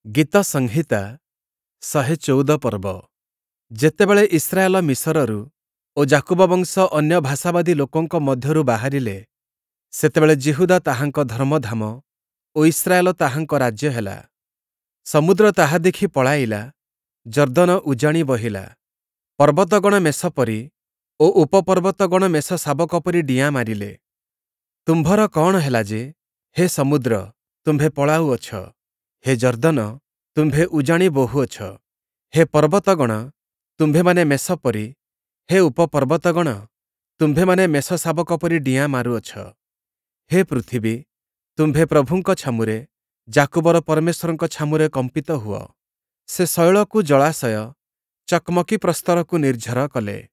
ଗୀତ ସଂହିତା 114 ପର୍ବ। ଯେତେବେଳେ ଇସ୍ରାଏଲ ମିଶରରୁ ଓ ଯାକୁବ ବଂଶ ଅନ୍ୟ ଭାଷାବାଦୀ ଲୋକଙ୍କ ମଧ୍ୟରୁ ବାହାରିଲେ, ସେତେବେଳେ ଯିହୁଦା ତାହାଙ୍କ ଧର୍ମଧାମ ଓ ଇସ୍ରାଏଲ ତାହାଙ୍କ ରାଜ୍ୟ ହେଲା। ସମୁଦ୍ର ତାହା ଦେଖି ପଳାଇଲା, ଯର୍ଦ୍ଦନ ଉଜାଣି ବହିଲା। ପର୍ବତଗଣ ମେଷ ପରି ଓ ଉପପର୍ବତଗଣ ମେଷଶାବକ ପରି ଡିଆଁ ମାରିଲେ। ତୁମ୍ଭର କଅଣ ହେଲା ଯେ, ହେ ସମୁଦ୍ର, ତୁମ୍ଭେ ପଳାଉଅଛ? ହେ ଯର୍ଦ୍ଦନ, ତୁମ୍ଭେ ଉଜାଣି ବହୁଅଛ? ହେ ପର୍ବତଗଣ, ତୁମ୍ଭେମାନେ ମେଷ ପରି, ହେ ଉପପର୍ବତଗଣ, ତୁମ୍ଭେମାନେ ମେଷଶାବକ ପରି ଡିଆଁ ମାରୁଅଛ? ହେ ପୃଥିବୀ, ତୁମ୍ଭେ ପ୍ରଭୁଙ୍କ ଛାମୁରେ, ଯାକୁବର ପରମେଶ୍ୱରଙ୍କ ଛାମୁରେ କମ୍ପିତ ହୁଅ। ସେ ଶୈଳକୁ ଜଳାଶୟ, ଚକ୍‌ମକୀ ପ୍ରସ୍ତରକୁ ନିର୍ଝର କଲେ।